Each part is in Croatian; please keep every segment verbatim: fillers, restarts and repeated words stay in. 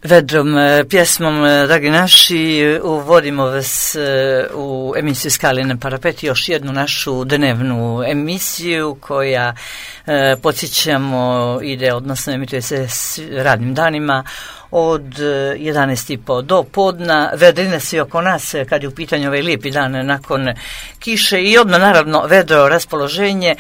Vedrom pjesmom, dragi naši, uvodimo vas u emisiju Skali na parapet, još jednu našu dnevnu emisiju koja, podsjećamo, ide, odnosno emituje se radnim danima od jedanaest i po do podna. Vedrine svi oko nas kad je u pitanju ovaj lijepi dan nakon kiše i odmah naravno vedro raspoloženje.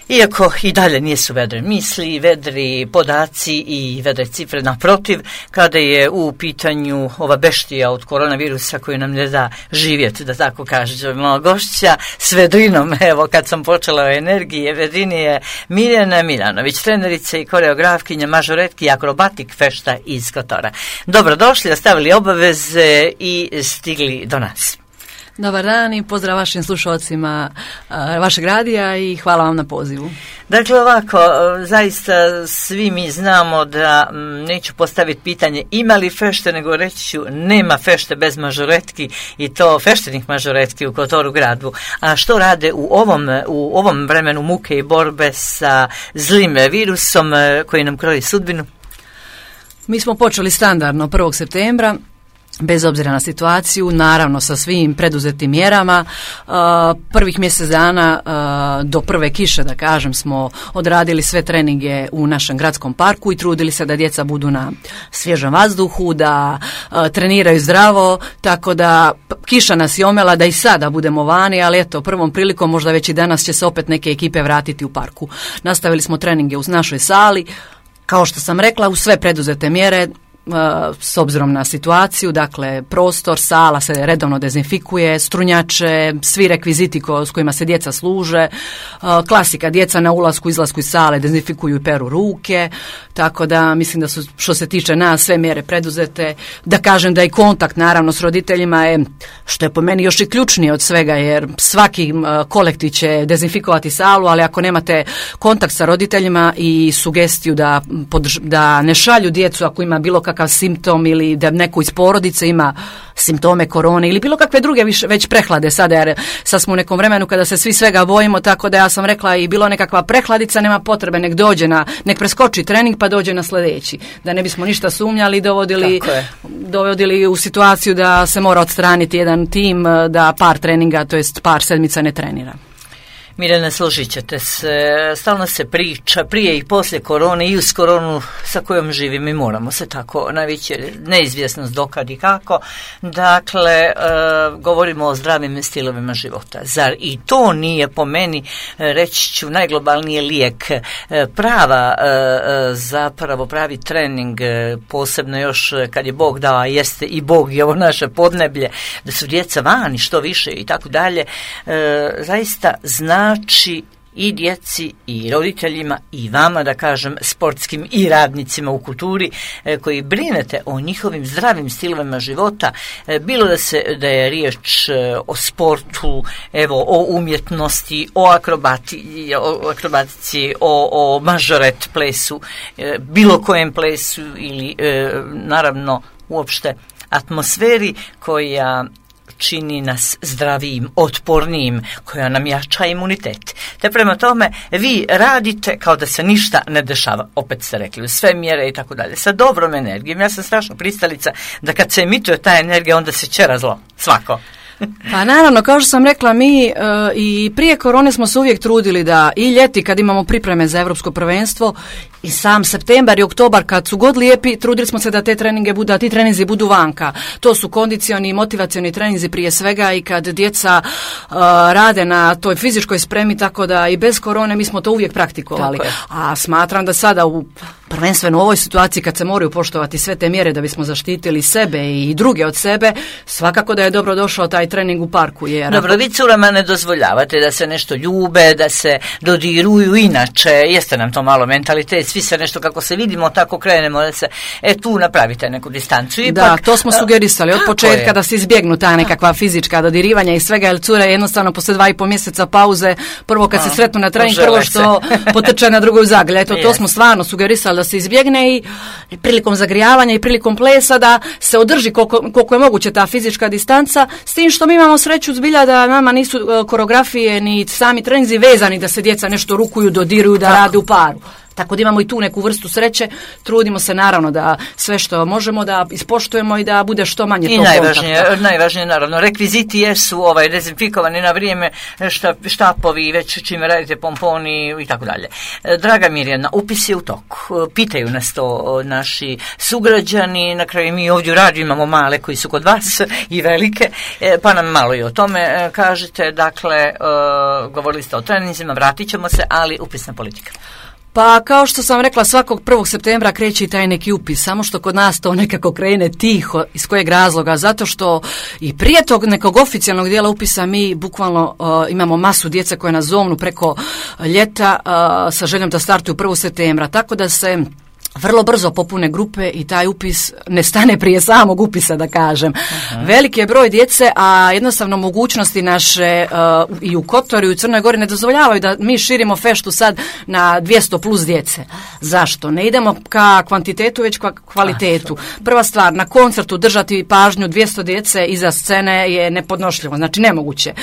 Iako i dalje nisu vedre misli, vedri podaci i vedre cifre, naprotiv, kada je u pitanju ova beštija od koronavirusa koji nam ne da živjeti, da tako kažemo, gošća s vedrinom. Evo, kad sam počela o energiji, vedrini je Mirjana Miljanović, trenerica i koreografkinja mažoretki i akrobatik fešta iz Kotora. Dobrodošli, ostavili obaveze i stigli do nas. Dobar dan i pozdrav vašim slušalcima vašeg radija i hvala vam na pozivu. Dakle, ovako, zaista svi mi znamo da m, neću postaviti pitanje ima li fešte, nego reći ću nema fešte bez mažoretki i to feštenih mažoretki u Kotoru gradu. A što rade u ovom, u ovom vremenu muke i borbe sa zlim virusom koji nam kroji sudbinu? Mi smo počeli standardno prvog septembra. Bez obzira na situaciju, naravno sa svim preduzetim mjerama. Uh, prvih mjesec dana uh, do prve kiše, da kažem, smo odradili sve treninge u našem gradskom parku i trudili se da djeca budu na svježem vazduhu, da uh, treniraju zdravo, tako da kiša nas je omela da i sada budemo vani, ali eto, prvom prilikom možda već i danas će se opet neke ekipe vratiti u parku. Nastavili smo treninge u našoj sali, kao što sam rekla, u sve preduzete mjere, s obzirom na situaciju, dakle prostor, sala se redovno dezinfikuje, strunjače, svi rekviziti ko, s kojima se djeca služe, klasika, djeca na ulasku, izlasku iz sale dezinfikuju i peru ruke, tako da mislim da su, što se tiče nas, sve mjere preduzete. Da kažem da i kontakt naravno s roditeljima je, što je po meni još i ključnije od svega, jer svaki kolektiv će dezinfikovati salu, ali ako nemate kontakt sa roditeljima i sugestiju da, da ne šalju djecu ako ima bilo kakav simptom ili da neko iz porodice ima simptome korone ili bilo kakve druge više, već prehlade sada, jer sad smo u nekom vremenu kada se svi svega bojimo, tako da ja sam rekla i bilo nekakva prehladica, nema potrebe, nek dođe na, nek preskoči trening pa dođe na sljedeći, da ne bismo ništa sumnjali i dovodili, dovodili u situaciju da se mora odstraniti jedan tim, da par treninga, to jest par sedmica ne trenira. Mirjana, složit ćete se, stalno se priča prije i poslije korone i uz koronu sa kojom živimo i moramo se tako navići, neizvjesnost dokad i kako. Dakle, e, govorimo o zdravim stilovima života. Zar i to nije po meni, reći ću, najglobalniji lijek, e, prava, e, zapravo pravi trening, e, posebno još kad je Bog dao, a jeste i Bog i ovo naše podneblje, da su djeca vani što više i tako dalje, e, zaista zna znači i djeci i roditeljima i vama, da kažem, sportskim i radnicima u kulturi e, koji brinete o njihovim zdravim stilovima života, e, bilo da se da je riječ e, o sportu, evo, o umjetnosti, o akrobati, o akrobatici, o, o mažoret plesu, e, bilo kojem plesu ili e, naravno uopšte atmosferi koja čini nas zdravijim, otpornijim, koja nam jača imunitet. Te prema tome, vi radite kao da se ništa ne dešava, opet ste rekli, sve mjere i tako dalje, sa dobrom energijom. Ja sam strašno pristalica da kad se emituje ta energija, onda se čera zlo, svako. Pa naravno, kao što sam rekla, mi e, i prije korone smo se uvijek trudili da i ljeti kad imamo pripreme za Europsko prvenstvo i sam septembar i oktobar kad su god lijepi, trudili smo se da te treninge budu, da ti treninzi budu vanka. To su kondicioni i motivacioni treninzi prije svega i kad djeca e, rade na toj fizičkoj spremi, tako da i bez korone mi smo to uvijek praktikovali. A smatram da sada u prvenstveno u ovoj situaciji kad se moraju poštovati sve te mjere da bismo zaštitili sebe i druge od sebe, svakako da je dobro došao taj trening u parku. Jer Dobro, vi curama ne dozvoljavate da se nešto ljube, da se dodiruju, inače jeste nam to malo mentalitet, svi se nešto kako se vidimo, tako krenemo da se, e tu napravite neku distancu. Ipak, da, to smo sugerisali od početka je. Da se izbjegnu ta nekakva fizička dodirivanja i svega, jer cure jednostavno poslije dva i po mjeseca pauze, prvo kad A, se sretnu na trening, prvo što potrče na drugoj zagrlje. Eto, to smo stvarno sugerisali da se izbjegne i prilikom zagrijavanja i prilikom plesa da se održi koliko, koliko je moguće ta fizička distanca, s tim što mi imamo sreću zbilja da nama nisu uh, koreografije ni sami treninzi vezani da se djeca nešto rukuju, dodiruju, da Tako. rade u paru. Tako da imamo i tu neku vrstu sreće, trudimo se naravno da sve što možemo da ispoštujemo i da bude što manje I tog najvažnije, kontakta. najvažnije naravno, rekviziti jesu ovaj, dezinfikovani na vrijeme, šta, štapovi, već čime radite, pomponi i tako dalje. Draga Mirjana, upis je u toku. Pitaju nas to naši sugrađani, na kraju mi ovdje u radiju imamo male koji su kod vas i velike, pa nam malo i o tome kažete. Dakle, govorili ste o treninzima, vratit ćemo se, ali upisna politika. Pa kao što sam rekla, svakog prvog septembra kreće i taj neki upis, samo što kod nas to nekako krene tiho. Iz kojeg razloga? Zato što i prije tog nekog oficijalnog dijela upisa mi bukvalno uh, imamo masu djece koje nas zovnu preko ljeta uh, sa željom da startuju prvog septembra, tako da se vrlo brzo popune grupe i taj upis ne stane prije samog upisa, da kažem. Uh-huh. Veliki je broj djece, a jednostavno mogućnosti naše uh, i u Kotoru i u Crnoj Gori ne dozvoljavaju da mi širimo feštu sad na dvjesto plus djece. Zašto? Ne idemo ka kvantitetu, već ka kvalitetu. Prva stvar, na koncertu držati pažnju dvjesto djece iza scene je nepodnošljivo, znači nemoguće.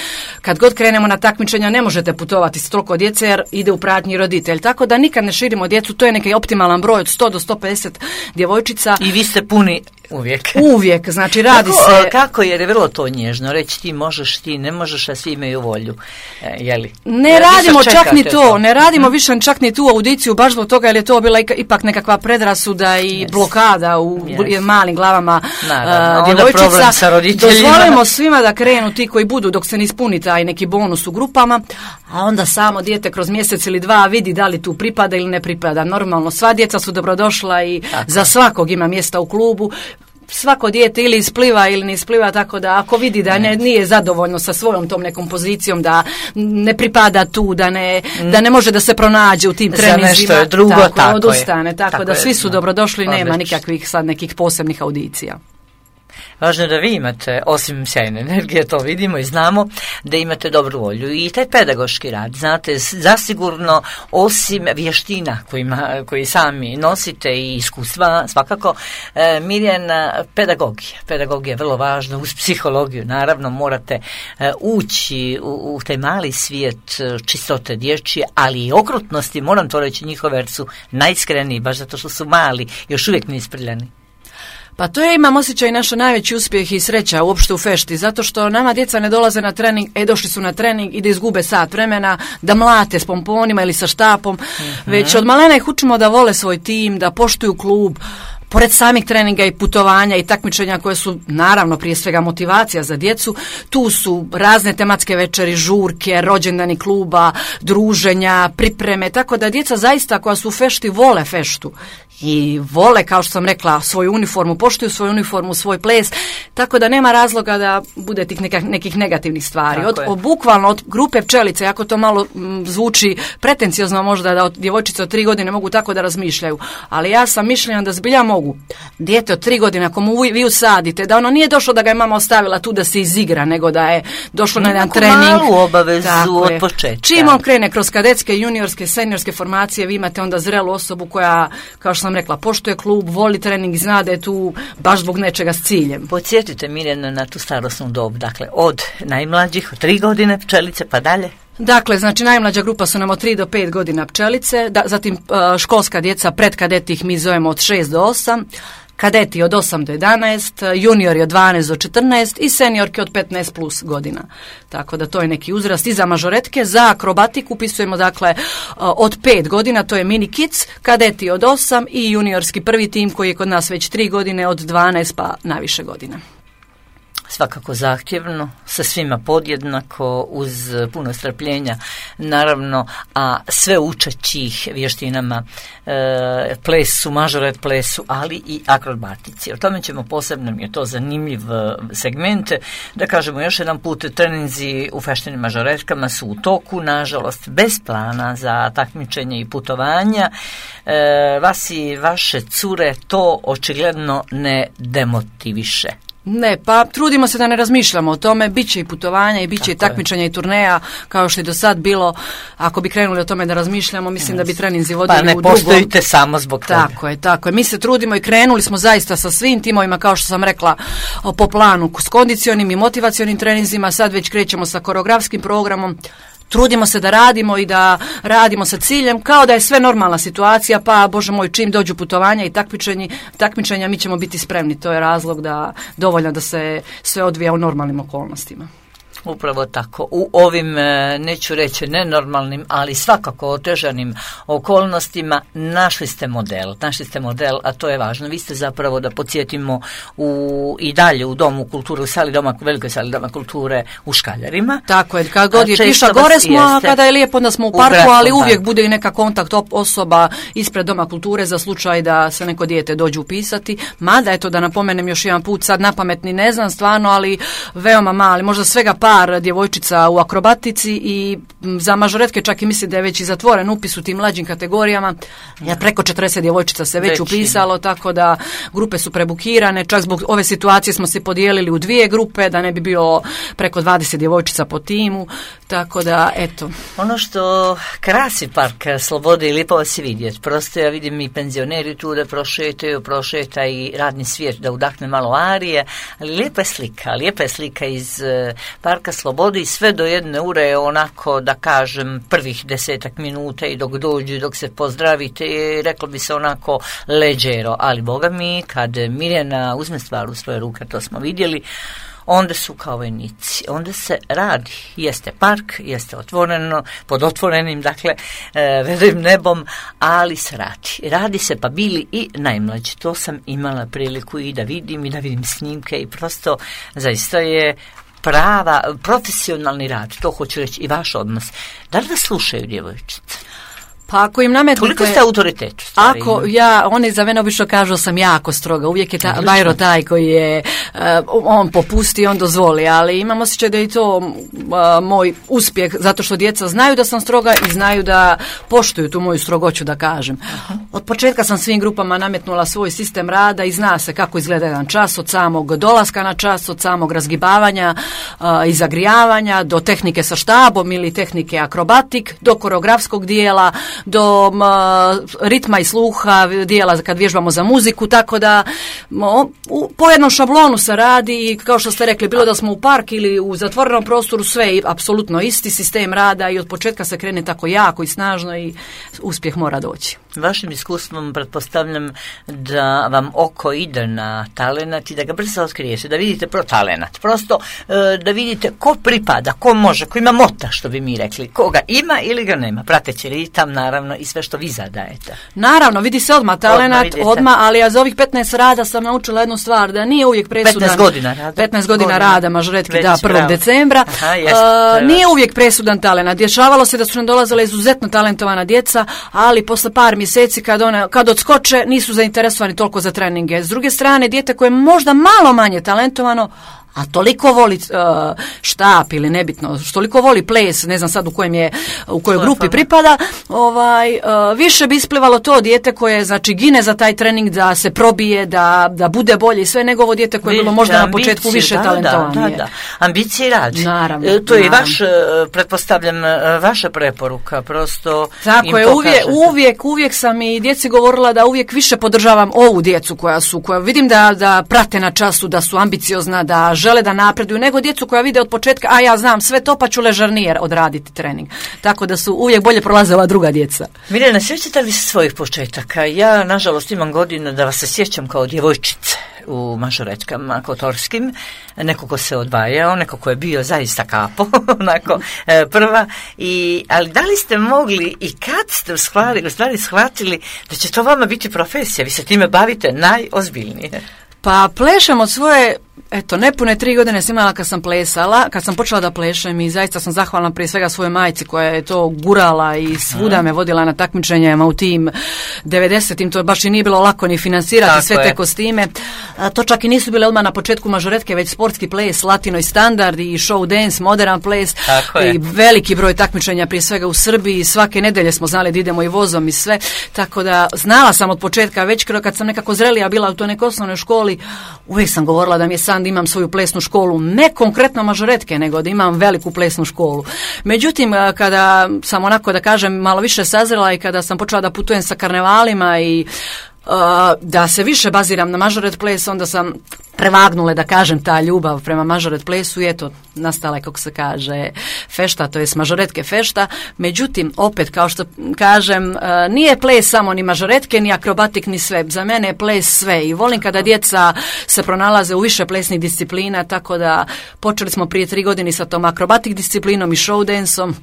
Kad god krenemo na takmičenja ne možete putovati s toliko djece jer ide u pratnji roditelj. Tako da nikad ne širimo djecu, to je neki optimalan broj od sto do sto pedeset djevojčica. I vi ste puni uvijek. Uvijek, znači radi kako, se... Kako, jer je vrlo to nježno, reći ti možeš, ti ne možeš, a svi imaju volju. E, jeli? Ne ja, radimo čak ni to, to, ne radimo više čak ni tu audiciju, baš zbog toga jer je to bila ipak nekakva predrasuda i yes. blokada u yes. malim glavama Naravno, uh, djevojčica. Dozvolimo svima da krenu ti koji budu dok se ne ispuni taj neki bonus u grupama, a onda samo dijete kroz mjesec ili dva vidi da li tu pripada ili ne pripada. Normalno, sva djeca su dobrodošla i tako. Za svakog ima mjesta u klubu. Svako dijete ili ispliva ili ne ispliva, tako da ako vidi da ne, nije zadovoljno sa svojom tom nekom pozicijom, da ne pripada tu, da ne, mm. da ne može da se pronađe u tim treninzima, nešto je drugo, tako, tako odustane, je. Tako, tako da je, svi su no. dobrodošli, Odlično. Nema nikakvih sad nekih posebnih audicija. Važno je da vi imate, osim sjajne energije, to vidimo i znamo, da imate dobru volju i taj pedagoški rad. Znate, zasigurno, osim vještina kojima, koji sami nosite i iskustva, svakako, e, Mirjana, pedagogija. Pedagogija je vrlo važna, uz psihologiju, naravno, morate e, ući u, u taj mali svijet čistote dječje, ali i okrutnosti, moram to reći, njihove, jer su najiskreniji, baš zato što su mali, još uvijek neisprljani. Pa to je, imam osjećaj, naša najveći uspjeh i sreća uopšte u fešti, zato što nama djeca ne dolaze na trening, e došli su na trening i da izgube sat vremena, da mlate s pomponima ili sa štapom, mm-hmm. već od malena ih učimo da vole svoj tim, da poštuju klub, pored samih treninga i putovanja i takmičenja koje su naravno prije svega motivacija za djecu, tu su razne tematske večeri, žurke, rođendani kluba, druženja, pripreme, tako da djeca zaista koja su u fešti vole feštu i vole, kao što sam rekla, svoju uniformu, poštuju svoju uniformu, svoj ples, tako da nema razloga da bude tih nekak, nekih negativnih stvari. Od, od, bukvalno od grupe pčelice, ako to malo m, zvuči pretenciozno možda da od djevojčice od tri godine mogu tako da razmišljaju, ali ja sam mišljenja da zbilja mogu. Dijete od tri godine, ako mu vi usadite, da ono nije došlo da ga je mama ostavila tu da se izigra, nego da je došlo na jedan trening. Malu obavezu od početka. Čim on krene kroz kadetske, juniorske, seniorske formacije, vi imate onda zrelu osobu koja, kao što sam rekla, poštuje klub, voli trening i zna da je tu baš zbog nečega s ciljem. Podsjetite Mirjana na tu starosnu dob, dakle od najmlađih, od tri godine pčelice pa dalje. Dakle, znači najmlađa grupa su nam od tri do pet godina pčelice, da, zatim uh, školska djeca, pred kadeti ih mi zovemo od šest do osam, kadeti od osam do jedanaest, juniori od dvanaest do četrnaest i seniorke od petnaest plus godina. Tako da to je neki uzrast i za mažoretke. Za akrobatiku upisujemo dakle od pet godina, to je mini kids, kadeti od osam i juniorski prvi tim koji je kod nas već tri godine od dvanaest pa naviše godina. Svakako zahtjevno, sa svima podjednako, uz puno strpljenja, naravno, a sve učećih vještinama, e, plesu, mažoret plesu, ali i akrobatici. O tome ćemo posebno, mi je to zanimljiv segment, da kažemo još jedan put, treninzi u feštenim mažoretkama su u toku, nažalost, bez plana za takmičenje i putovanja. E, vas i vaše cure to očigledno ne demotiviše. Ne, pa trudimo se da ne razmišljamo o tome, bit će i putovanja i bit će i takmičenja i turneja, kao što je do sad bilo. Ako bi krenuli o tome da razmišljamo, mislim yes. da bi treninzi vodili pa ne u drugom. postojite samo zbog toga. Tako je, tako je. Mi se trudimo i krenuli smo zaista sa svim timovima, kao što sam rekla, po planu s kondicionim i motivacionim treninzima, sad već krećemo sa koreografskim programom. trudimo se da radimo i da radimo sa ciljem kao da je sve normalna situacija, pa Bože moj, čim dođu putovanja i takmičenja, takmičenja mi ćemo biti spremni. To je razlog da dovoljno da se sve odvija u normalnim okolnostima. Upravo tako. U ovim, neću reći nenormalnim, ali svakako otežanim okolnostima našli ste model. Našli ste model, a to je važno. Vi ste zapravo, da podsjetimo, u, i dalje u Domu kulture, u sali doma, velikoj sali Doma kulture u Škaljarima. Tako je, kad god je kiša gore smo, a kada je lijepo onda smo u parku, u ali uvijek bude i neka kontakt osoba ispred Doma kulture za slučaj da se neko dijete dođe upisati. Mada, eto da napomenem još jedan put, sad napametni ne znam stvarno, ali veoma mali, možda svega par djevojčica u akrobatici i za mažoretke čak i mislim da je već i zatvoren upis u tim mlađim kategorijama. Ja, preko četrdeset djevojčica se već, već upisalo, tako da grupe su prebukirane. Čak zbog ove situacije smo se podijelili u dvije grupe, da ne bi bilo preko dvadeset djevojčica po timu, tako da eto. Ono što krasi Park Slobode i lijepo vas je vidjeti. Prosto ja vidim i penzioneri tu da prošetaju, prošeta i radni svijet da udahne malo arije, ali lijepa je slika, lijepa je slika iz Parka Slobode i sve do jedne ure onako, da kažem, prvih desetak minuta i dok dođu, dok se pozdravite, reklo bi se onako leđero, ali boga mi, kad Mirjana uzme stvar u svoje ruke, to smo vidjeli, onda su kao vojnici, onda se radi, jeste park, jeste otvoreno, pod otvorenim, dakle, e, velim nebom, ali se radi. Radi se, pa bili i najmlađi. To sam imala priliku i da vidim, i da vidim snimke i prosto zaista je prava, profesionalni rad, to hoću reći, i vaš odnos. Da li vas slušaju djevojčice? Pa ako im nametnete... Koliko ste autoritet? Stvari? Ako ja, oni za mene obično kažu sam jako stroga, uvijek je ta, Bajro taj koji je, uh, on popusti, on dozvoli, ali imam osjećaj da je to uh, moj uspjeh, zato što djeca znaju da sam stroga i znaju da poštuju tu moju strogoću, da kažem. Uh-huh. Od početka sam svim grupama nametnula svoj sistem rada i zna se kako izgleda jedan čas, od samog dolaska na čas, od samog razgibavanja uh, i zagrijavanja, do tehnike sa štabom ili tehnike akrobatik, do koreografskog dijela, do m, ritma i sluha, dijela kad vježbamo za muziku, tako da mo, u, po jednom šablonu se radi i kao što ste rekli, bilo da smo u park ili u zatvorenom prostoru, sve je apsolutno isti sistem rada i od početka se krene tako jako i snažno i uspjeh mora doći. Vašim iskustvom pretpostavljam da vam oko ide na talenat i da ga brzo otkrijete, da vidite pro talenat. Prosto da vidite ko pripada, ko može, ko ima mota, što bi mi rekli, koga ima ili ga nema, prateći ritam, naravno, i sve što vi zadajete. Naravno, vidi se odmah talenat, odmah, odmah, ali ja za ovih petnaest rada sam naučila jednu stvar, da nije uvijek presudan. petnaest godina rada. petnaest godina, godina rada, mažoretki, da, prvog bravo. decembra. Aha, jest, uh, nije uvijek presudan talenat. Dešavalo se da su nam dolazila izuzetno talentovana djeca, ali posle par mjeseci kad, one, kad odskoče nisu zainteresovani toliko za treninge. S druge strane, dijete koje je možda malo manje talentovano, a toliko voli uh, štap ili nebitno, toliko voli ples, ne znam sad u kojem je, u kojoj grupi pripada, ovaj, uh, više bi isplivalo to dijete koje, znači, gine za taj trening, da se probije, da, da bude bolje i sve, nego ovo dijete koje je bilo možda ambicije, na početku više da, talentovanije. Da, da, da. Ambicije i rad. Naravno. E, to je naravno. vaš, pretpostavljam, vaša preporuka, prosto. Tako je, uvijek, uvijek, uvijek sam i djeci govorila da uvijek više podržavam ovu djecu koja su, koja vidim da, da prate na času, da su ambiciozna, da žele da napreduju, nego djecu koja vide od početka, a ja znam sve to, pa ću ležarnije odraditi trening. Tako da su uvijek bolje prolaze ova druga djeca. Mirjana, sjećate li se svojih početaka? Ja, nažalost, imam godinu da vas se sjećam kao djevojčice u mažoretkama kotorskim, neko ko se odvajao, neko ko je bio zaista kapo, onako, prva, i, ali da li ste mogli i kad ste u stvari, u stvari shvatili da će to vama biti profesija, vi se time bavite najozbiljnije? Pa plešem od svoje, eto, nepune tri godine sam imala kad sam plesala, kad sam počela da plešem i zaista sam zahvalna prije svega svojoj majci koja je to gurala i svuda me vodila na takmičenjima u tim devedesetim, to baš i nije bilo lako ni financirati tako sve je. Te kostime. A, to čak i nisu bile odmah na početku mažoretke, već sportski ples, latino i standard i show dance, modern ples i veliki broj takmičenja prije svega u Srbiji, svake nedelje smo znali da idemo i vozom i sve, tako da znala sam od početka, već kad sam nekako zrelija bila u toj nekoj osnovnoj školi, uvijek sam govorila da mi je san da imam svoju plesnu školu, ne konkretno mažoretke, nego da imam veliku plesnu školu. Međutim, kada sam onako, da kažem, malo više sazrela i kada sam počela da putujem sa karnevalima i Uh, da se više baziram na mažoret ples, onda sam prevagnule, da kažem, ta ljubav prema mažoret plesu i eto, nastala je, kako se kaže, fešta, to je mažoretke fešta. Međutim, opet, kao što kažem, nije ples samo ni mažoretke, ni akrobatik, ni sve. Za mene je ples sve i volim kada djeca se pronalaze u više plesnih disciplina, tako da počeli smo prije tri godine sa tom akrobatik disciplinom i show danceom.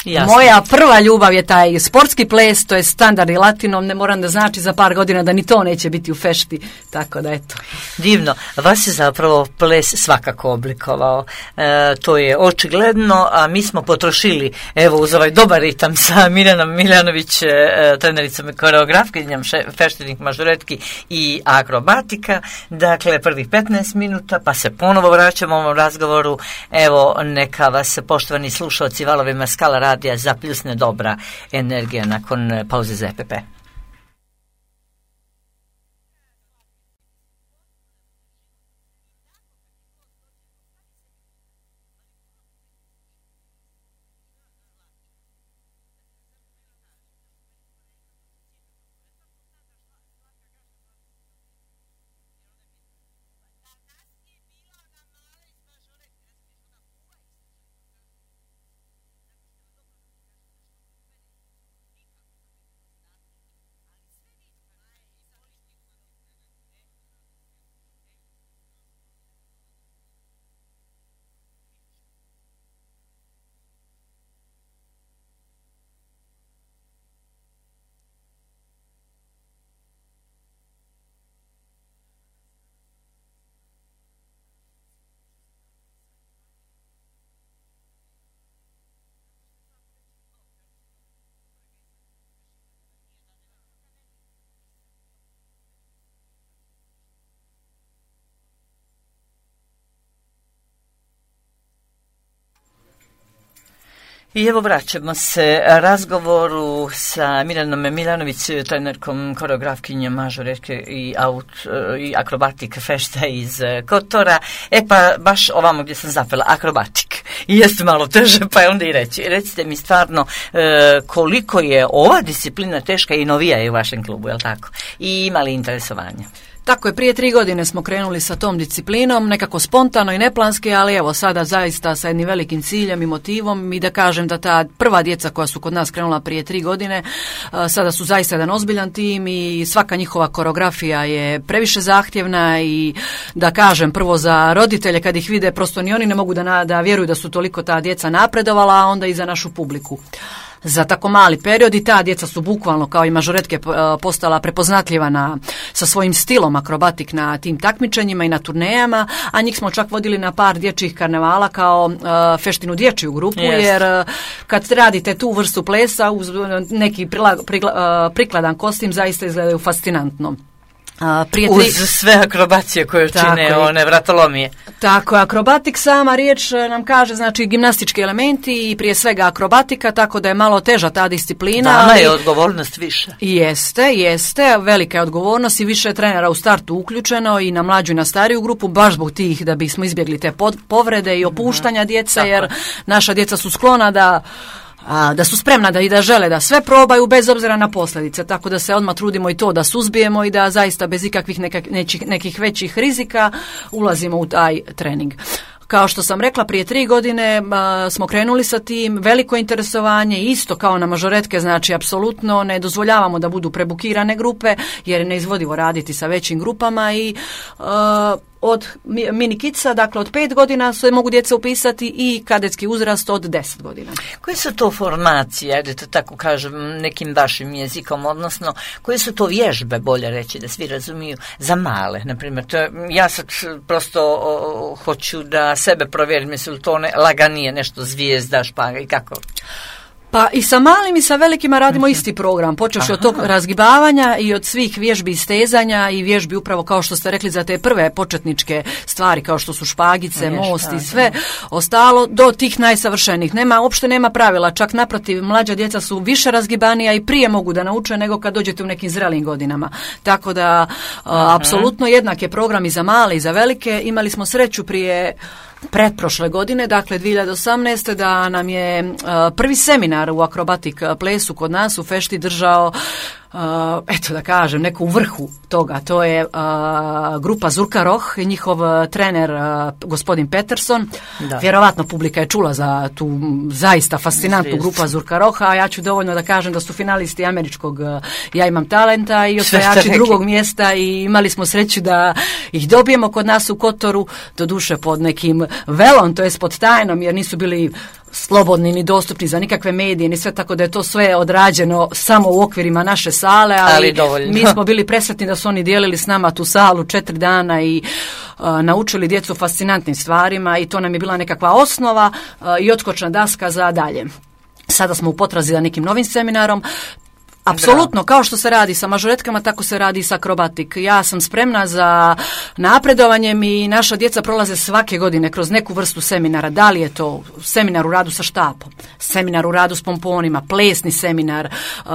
Jasne. Moja prva ljubav je taj sportski ples, to je standardni latinom, ne moram da znači za par godina da ni to neće biti u fešti, tako da eto. Divno, vas je zapravo ples svakako oblikovao, e, to je očigledno, a mi smo potrošili, evo uz ovaj dobar ritam sa Mirjanom Miljanović, e, trenericom i koreografkinjom feštenih mažoretki i akrobatika, dakle prvih petnaest minuta, pa se ponovo vraćamo u ovom razgovoru, evo neka vas poštovani slušalci valovima Skala radija zapljusne dobra energija nakon pauze za E P P. I evo vraćamo se razgovoru sa Mirjanom Miljanović, trenerkom, koreografkinjom mažoretke i, aut, i akrobatik fešta iz Kotora. E pa baš ovamo gdje sam zapela, akrobatik. I jeste malo teže, pa je onda i reći. Recite mi stvarno e, koliko je ova disciplina teška i novija je u vašem klubu, je li tako? I ima li interesovanja? Tako je, prije tri godine smo krenuli sa tom disciplinom, nekako spontano i neplanski, ali evo sada zaista sa jednim velikim ciljem i motivom i da kažem da ta prva djeca koja su kod nas krenula prije tri godine, sada su zaista jedan ozbiljan tim i svaka njihova koreografija je previše zahtjevna i da kažem prvo za roditelje kad ih vide prosto ni oni ne mogu da, da vjeruju da su toliko ta djeca napredovala, a onda i za našu publiku. Za tako mali period i ta djeca su bukvalno kao i mažoretke postala prepoznatljiva na, sa svojim stilom akrobatik na tim takmičenjima i na turnejama, a njih smo čak vodili na par dječjih karnevala kao uh, feštinu dječju grupu, yes. jer uh, kad radite tu vrstu plesa uz neki prila, prikla, uh, prikladan kostim zaista izgledaju fascinantno. Uh, prije tri... Uz sve akrobacije koje čine je. One vratolomije. Tako, akrobatik sama riječ nam kaže, znači gimnastički elementi i prije svega akrobatika, tako da je malo teža ta disciplina. Dana ali... je odgovornost više. Jeste, jeste, velika je odgovornost i više je trenera u startu uključeno i na mlađu i na stariju grupu, baš zbog tih da bismo izbjegli te pod, povrede i opuštanja mm-hmm. djece, tako. Jer naša djeca su sklona da A, da su spremna da i da žele da sve probaju bez obzira na posljedice, tako da se odmah trudimo i to da suzbijemo i da zaista bez ikakvih nekak, nekih, nekih većih rizika ulazimo u taj trening. Kao što sam rekla, prije tri godine a, smo krenuli sa tim, veliko interesovanje, isto kao na mažoretke, znači apsolutno ne dozvoljavamo da budu prebukirane grupe, jer je neizvodivo raditi sa većim grupama i a, od mini kica, dakle od pet godina se mogu djeca upisati i kadetski uzrast od deset godina. Koje su to formacije, ajde to tako kažem nekim vašim jezikom, odnosno koje su to vježbe, bolje reći da svi razumiju, za male, na primjer. To je, ja sad prosto o, hoću da sebe provjerim, jesu li to ne, laganije nešto zvijezda, špaga i kako? Pa i sa malim i sa velikima radimo isti program, počevši od tog razgibavanja i od svih vježbi istezanja i vježbi upravo kao što ste rekli za te prve početničke stvari kao što su špagice, Nije most špaga. I sve ostalo do tih najsavršenijih. Nema, uopšte nema pravila, čak naprotiv, mlađa djeca su više razgibanija i prije mogu da nauče nego kad dođete u nekim zrelim godinama. Tako da a, apsolutno jednak je program i za male i za velike. Imali smo sreću prije pretprošle godine, dakle dvije hiljade osamnaeste da nam je uh, prvi seminar u akrobatik plesu kod nas u fešti držao uh, eto da kažem, neko u vrhu toga. To je uh, grupa Zurka Roh i njihov uh, trener uh, gospodin Peterson. Da. Vjerovatno publika je čula za tu zaista fascinantnu Zvijest. grupu Zurka Roha, a ja ću dovoljno da kažem da su finalisti američkog uh, Ja imam talenta i osvajači drugog mjesta i imali smo sreću da ih dobijemo kod nas u Kotoru, doduše pod nekim velom, to jest pod tajnom, jer nisu bili slobodni ni dostupni za nikakve medije ni sve, tako da je to sve odrađeno samo u okvirima naše sale, ali, ali mi smo bili presretni da su oni dijelili s nama tu salu četiri dana i uh, naučili djecu fascinantnim stvarima i to nam je bila nekakva osnova uh, i odskočna daska za dalje. Sada smo u potrazi za nekim novim seminarom. Apsolutno, kao što se radi sa mažoretkama, tako se radi i sa akrobatik. Ja sam spremna za napredovanjem i naša djeca prolaze svake godine kroz neku vrstu seminara. Da li je to seminar u radu sa štapom, seminar u radu s pomponima, plesni seminar, uh,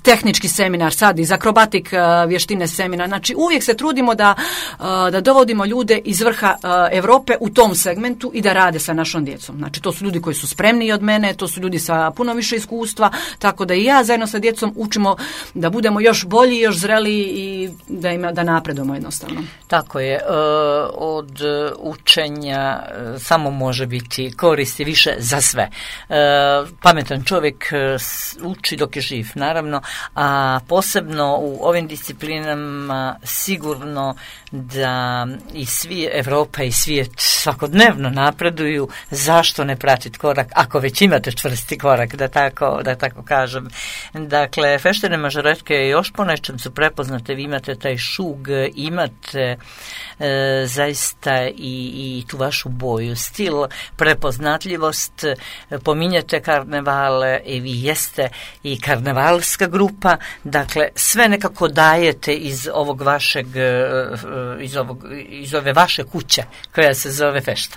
tehnički seminar, sad iz akrobatik uh, vještine seminar. Znači uvijek se trudimo da, uh, da dovodimo ljude iz vrha uh, Europe u tom segmentu i da rade sa našom djecom. Znači to su ljudi koji su spremniji od mene, to su ljudi sa puno više iskustva, tako da i ja zajedno sa djecom učimo da budemo još bolji, još zreliji i da ima, da napredujemo jednostavno. Tako je. Od učenja samo može biti koristi više za sve. Pametan čovjek uči dok je živ, naravno, a posebno u ovim disciplinama sigurno da i svi Evropa i svijet svakodnevno napreduju. Zašto ne pratiti korak, ako već imate čvrsti korak, da tako, da tako kažem. Dakle, feštene mažoretke još po nečem su prepoznate, vi imate taj šug, imate e, zaista i, i tu vašu boju, stil, prepoznatljivost, pominjete karnevale i vi jeste i karnevalska grupa, dakle sve nekako dajete iz ovog vašeg, iz, ovog, iz ove vaše kuće koja se zove fešta.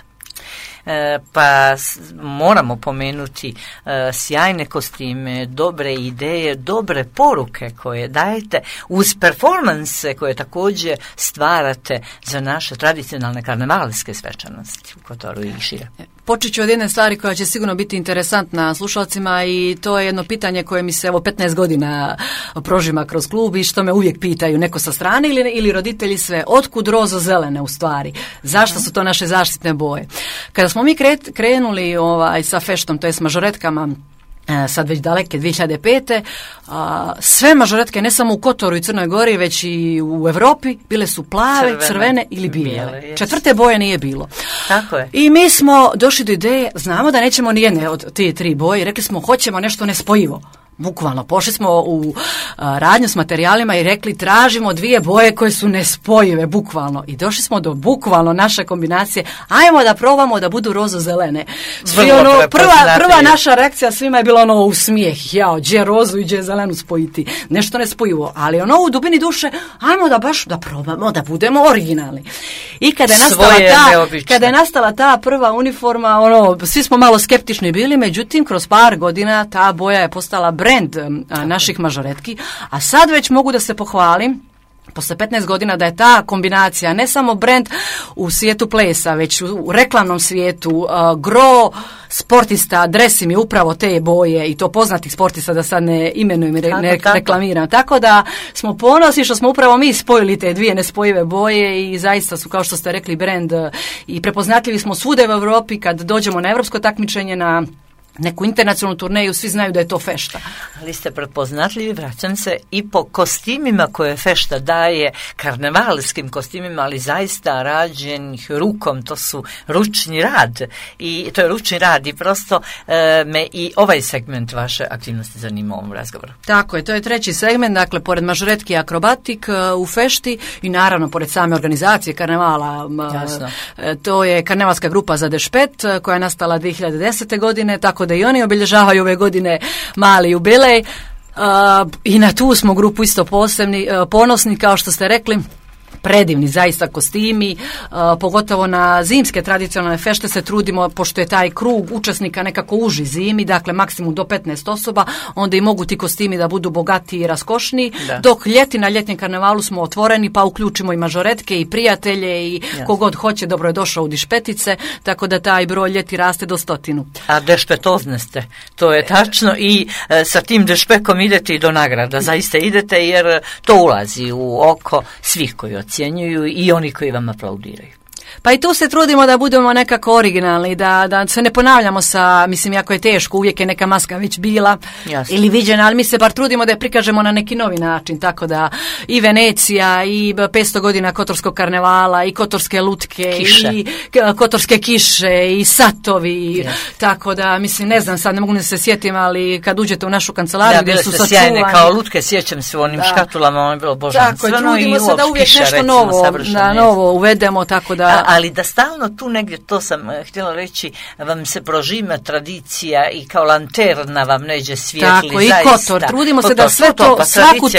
Pa moramo pomenuti uh, sjajne kostime, dobre ideje, dobre poruke koje dajete uz performanse koje također stvarate za naše tradicionalne karnevalske svečanosti u Kotoru i šire. Počet ću od jedne stvari koja će sigurno biti interesantna slušalcima i to je jedno pitanje koje mi se evo petnaest godina prožima kroz klub i što me uvijek pitaju neko sa strane ili, ili roditelji sve. Otkud rozo zelene u stvari? Zašto su to naše zaštitne boje? Kada smo mi krenuli ovaj, sa feštom, to je s mažoretkama, sad već daleke dvije hiljade pete. A, sve mažoretke, ne samo u Kotoru i Crnoj Gori, već i u Evropi, bile su plave, crvene, crvene ili bijele. bijele Četvrte boje nije bilo. Tako je. I mi smo došli do ideje, znamo da nećemo ni jedne od te tri boje, rekli smo hoćemo nešto nespojivo. Bukvalno, pošli smo u a, radnju s materijalima i rekli tražimo dvije boje koje su nespojive, bukvalno. I došli smo do bukvalno naše kombinacije, ajmo da probamo da budu rozo-zelene. Svi ono, prva, prva naša reakcija svima je bila ono u smijeh, jao, gdje rozu i gdje zelenu spojiti, nešto nespojivo, ali ono u dubini duše, ajmo da baš da probamo, da budemo originalni. I kada je nastala, ta, kada je nastala ta prva uniforma, ono, svi smo malo skeptični bili, međutim, kroz par godina ta boja je postala brend a, naših mažoretki, a sad već mogu da se pohvalim posle petnaest godina da je ta kombinacija ne samo brend u svijetu plesa, već u, u reklamnom svijetu, uh, gro sportista dresi mi upravo te boje i to poznatih sportista, da sad ne imenujem i re, ne reklamiram. Tako da smo ponosni što smo upravo mi spojili te dvije nespojive boje i zaista su, kao što ste rekli, brend i prepoznatljivi smo svude u Europi kad dođemo na evropsko takmičenje, na neku internacionalnu turneju, svi znaju da je to fešta. Ali ste prepoznatljivi, vraćam se, i po kostimima koje fešta daje, karnevalskim kostimima, ali zaista rađenih rukom, to su ručni rad. I to je ručni rad i prosto e, me i ovaj segment vaše aktivnosti zanima u ovom razgovoru. Tako je, to je treći segment, dakle, pored mažoretki akrobatik u fešti i naravno pored same organizacije karnevala. Jasno. E, to je karnevalska grupa za Dešpet koja je nastala dvije hiljade desete. godine, tako da i oni obilježavaju ove godine mali jubilej. Uh, i na tu smo grupu isto posebni, uh, ponosni, kao što ste rekli. predivni zaista kostimi, uh, pogotovo na zimske tradicionalne fešte se trudimo, pošto je taj krug učesnika nekako uži zimi, dakle maksimum do petnaest osoba, onda i mogu ti kostimi da budu bogatiji i raskošniji, da. Dok ljeti na ljetnjem karnevalu smo otvoreni, pa uključimo i mažoretke i prijatelje i yes. kogod hoće, dobro je došao u dišpetice, tako da taj broj ljeti raste do stotinu. A dešpetozne ste, to je tačno i e, sa tim dešpekom idete i do nagrada, zaista idete jer to ulazi u oko svih koji ocjenjuju i oni koji vam aplaudiraju. Pa i tu se trudimo da budemo nekako originalni, da, da se ne ponavljamo sa, mislim, jako je teško, uvijek je neka maska već bila Jasne. Ili viđena, ali mi se bar trudimo da je prikažemo na neki novi način, tako da i Venecija, i petsto godina Kotorskog karnevala, i Kotorske lutke, kiše. I Kotorske kiše, i satovi, yes. tako da, mislim, ne znam, sad ne mogu ne se sjetim, ali kad uđete u našu kancelariju, gdje su sačuvani. Sjajne, kao lutke, sjećam se u onim da. škatulama, ono je bilo božanstveno. Tako, trudimo se da uvijek kiša, nešto recimo, novo, da, novo uvedemo, tako da... A, ali da stalno tu negdje, to sam htjela reći, vam se prožima tradicija i kao lanterna vam neđe svijetli. Tako, zaista. I Kotor. Trudimo Kotor, se da sve to, to pa svaku, tu,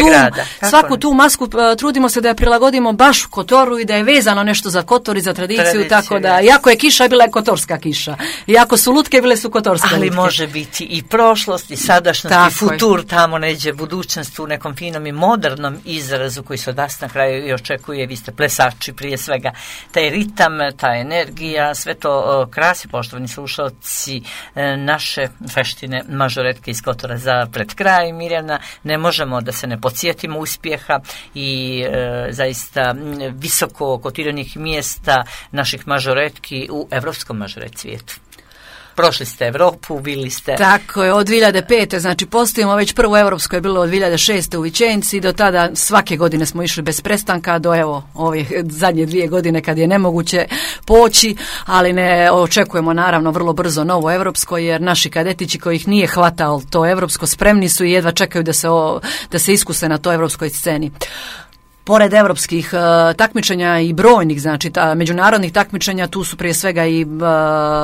svaku tu masku, trudimo se da je prilagodimo baš Kotoru i da je vezano nešto za Kotor i za tradiciju, Tradicija, tako da, iako je kiša, bila je kotorska kiša. Iako su lutke, bile su kotorske Ali lutke. može biti i prošlost, i sadašnjost, tako i futur, je. Tamo neđe budućnost u nekom finom i modernom izrazu koji se od nas na kraju i očekuje. Vi ste plesači prije svega. Taj ritam, ta energija, sve to krasi, poštovani slušalci, naše feštine mažoretke iz Kotora za pred kraj. Mirjana, ne možemo da se ne podsjetimo uspjeha i e, zaista visoko kotiranih mjesta naših mažoretki u evropskom mažoret svijetu. Prošli ste Evropu, bili ste... Tako je, od dvije hiljade pete, znači postojimo već prvo evropsko je bilo od dvije hiljade šeste u Vičenci, do tada svake godine smo išli bez prestanka, do evo ove zadnje dvije godine kad je nemoguće poći, ali ne očekujemo naravno vrlo brzo novo evropsko, jer naši kadetići kojih nije hvatao to evropsko spremni su i jedva čekaju da se, o, da se iskuse na toj evropskoj sceni. Pored evropskih uh, takmičenja i brojnih, znači ta, međunarodnih takmičenja, tu su prije svega i uh,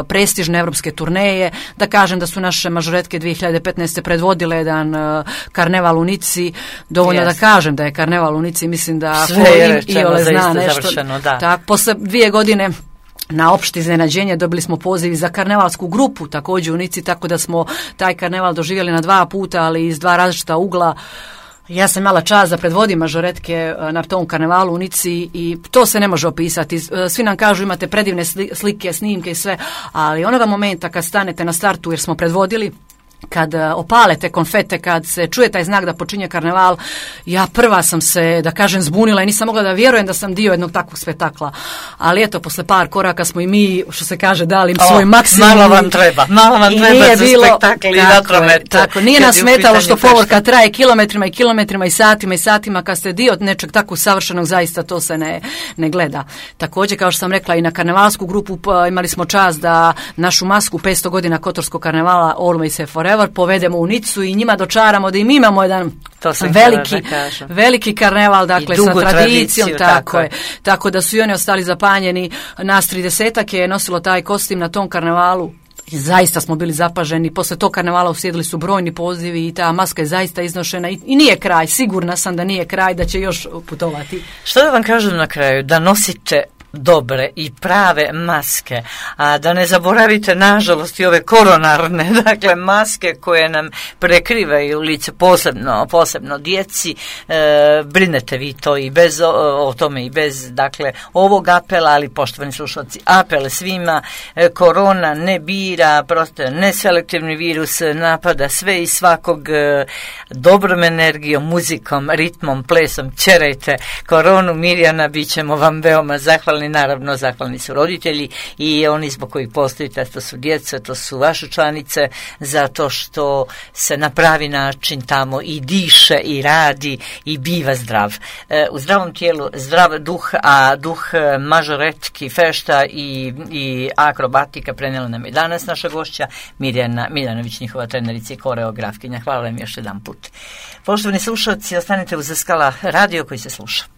prestižne evropske turneje. Da kažem da su naše mažoretke dvije hiljade petnaeste predvodile jedan uh, karneval u Nici. Dovoljno yes. da kažem da je karneval u Nici, mislim da sve i ole zna nešto. Završeno, da. Tak, posle dvije godine na opšte iznenađenje dobili smo poziv za karnevalsku grupu također u Nici, tako da smo taj karneval doživjeli na dva puta, ali iz dva različita ugla. Ja sam imala čast da predvodim mažoretke na tom karnevalu u Nici i to se ne može opisati. Svi nam kažu imate predivne slike, snimke i sve, ali onoga momenta kad stanete na startu jer smo predvodili, kad opalete konfete, kad se čuje taj znak da počinje karneval, ja prva sam se, da kažem, zbunila i nisam mogla da vjerujem da sam dio jednog takvog spektakla. Ali eto, posle par koraka smo i mi, što se kaže, dali im svoj maksimum. Malo vam treba, malo vam treba za spektakl i vatromet. Tako, nije nas smetalo što povorka traje kilometrima i kilometrima i satima i satima, kad ste dio nečeg tako savršenog, zaista to se ne, ne gleda. Također, kao što sam rekla, i na karnevalsku grupu imali smo čast da našu masku petsto godina Kotorskog karnevala Always and Forever povedemo u Nicu i njima dočaramo da im imamo jedan veliki, veliki karneval, dakle sa tradicijom, tako, tako je. Tako da su i oni ostali zapanjeni. Nas tridesetak je nosilo taj kostim na tom karnevalu. I zaista smo bili zapaženi. Posle tog karnevala uslijedili su brojni pozivi i ta maska je zaista iznošena i, i nije kraj. Sigurna sam da nije kraj, da će još putovati. Što da vam kažem na kraju? Da nosite dobre i prave maske, a da ne zaboravite nažalost i ove koronarne, dakle maske koje nam prekrivaju lice, posebno, posebno djeci, e, brinete vi to i bez o, o tome i bez dakle ovog apela, ali poštovani slušalci, apel svima, e, korona ne bira, prosto neselektivni virus napada sve i svakog, e, dobrom energijom, muzikom, ritmom, plesom, ćerajte koronu. Mirjana, bit ćemo vam veoma zahvalni. Naravno, zahvalni su roditelji i oni zbog kojih postojite, to su djeca, to su vaše članice, zato što se na pravi način tamo i diše i radi i biva zdrav. E, u zdravom tijelu zdrav duh, a duh mažoretki, fešta i, i akrobatika prenijela nam je danas naša gošća Mirjana Miljanović, njihova trenerica i koreografkinja. Hvala vam još jedan put. Poštovani slušalci, ostanite uz Skala radio koji se sluša.